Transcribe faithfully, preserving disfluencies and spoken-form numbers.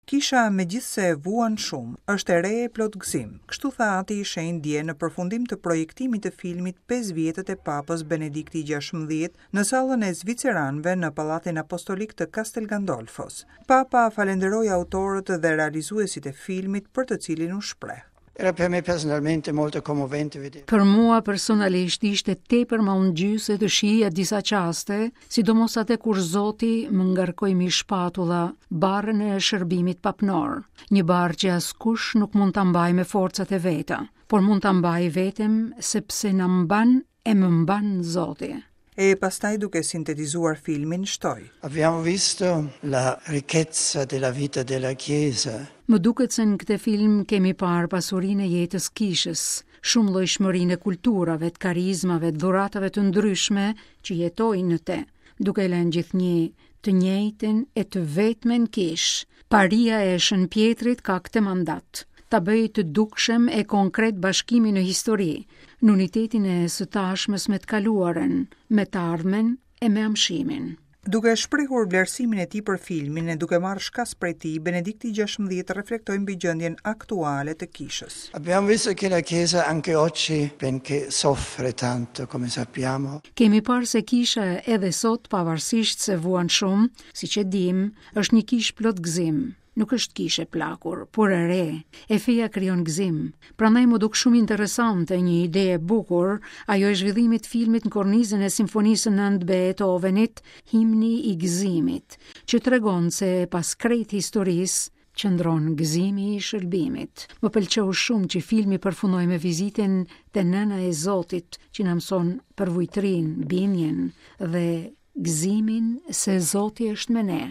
Kisha, megjithëse vuan shumë, është e re e plot gëzim. Kështu tha Ati i Shenjtë dje në përfundim të projektimit të filmit pesë vjetët e Papës Benedikti gjashtëmbëdhjetë në sallën e Zviceranëve në Pallatin Apostolik të Castel Gandolfos. Papa falenderoi autorët dhe realizuesit e filmit, për të cilin u shpreh: Era per me personalmente molto commovente vedere. Për mua personalisht ishte tepër mallëngjyese të shihja disa çaste, sidomos atë kur Zoti më ngarkoi mbi shpatulla barrën e shërbimit papnor, një barrë që askush nuk mund ta mbajë me forcat e veta, por mund ta mbajë vetëm sepse na mban e më mban Zoti. E pastaj, duke sintetizuar filmin, shtoi: Abbiamo visto la ricchezza della vita della Chiesa. Më duket se në këtë film kemi parë pasurinë e jetës kishës, shumë llojshmërinë e kulturave, të karizmave, të dhuratave të ndryshme që jetojnë në te, duke lënë gjithnjë të njëjtën e të vetmen kishë. Paria e Shën Pjetrit ka këtë mandat: ta bëj të dukshëm e konkret bashkimin në histori, në unitetin e së tashmës me të kaluarën, me të ardhmen e me amshimin. Duke shprehur vlerësimin e tij për filmin e duke marrë shkas prej tij, Benedikti gjashtëmbëdhjetë reflektoi mbi gjendjen aktuale të kishës. Abbiamo visto che la Chiesa anche oggi, benché soffre tanto, come sappiamo, Kemi parë se kisha edhe sot, pavarësisht se vuan shumë, siç e dim, është një kishë plot gëzim. Nuk është kishë e plakur, por e re, e feja krijon gëzim. Prandaj më duk shumë interesante një ide e bukur, ajo e zhvillimit të filmit në kornizën e Simfonisë së nëntë Beethovenit, Himni i gëzimit, që tregon se pas krejt historisë qëndron gëzimi i shëlbimit. Më pëlqeu shumë që filmi përfundoi me vizitën te Nëna e Zotit, që na mëson përvujtrin, bindjen dhe gëzimin se Zoti është me ne.